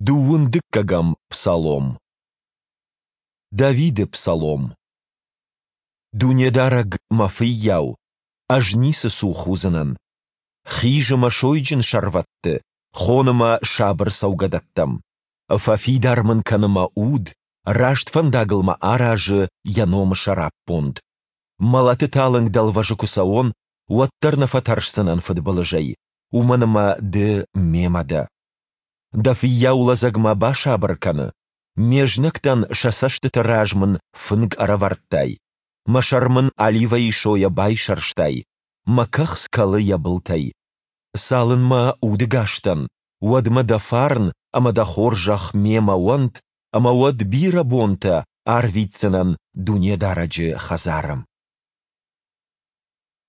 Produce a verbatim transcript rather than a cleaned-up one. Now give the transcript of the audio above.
Дыууын дыккӕгӕм псалом. Давиды псалом. Дунедарӕг мӕ фыййау, ӕз ницы цух уыдзынӕн. Хизы мӕ сойджын сӕрвӕтты, хоны мӕ сабыр цӕугӕдӕттӕм. Фӕфидар мын кӕны мӕ уд, раст фӕндагыл мӕ аразы Йӕ номы сӕраппонд. Мӕлӕты талынг дӕлвӕзы куы цӕуон, уӕддӕр нӕ фӕтӕрсдзынӕн фыдбылызӕй, уымӕн ӕмӕ Ды мемӕ дӕ. Дӕ фыййау лӕдзӕг мӕ басабыр кӕны, ме знӕгтӕн сӕ цӕстыты раз мын фынг ӕрӕвӕрдтай, мӕ сӕр мын оливӕйы сойӕ байсӕрстай, мӕ кӕхц кӕлы йӕ былтӕй. Цалынмӕ удӕгас дӕн, уӕдмӕ дӕ фарн ӕмӕ дӕ хорзӕх мемӕ уӕнт, ӕмӕ уӕд бирӕ бонтӕ арвитдзынӕн Дунедарӕджы хӕдзары.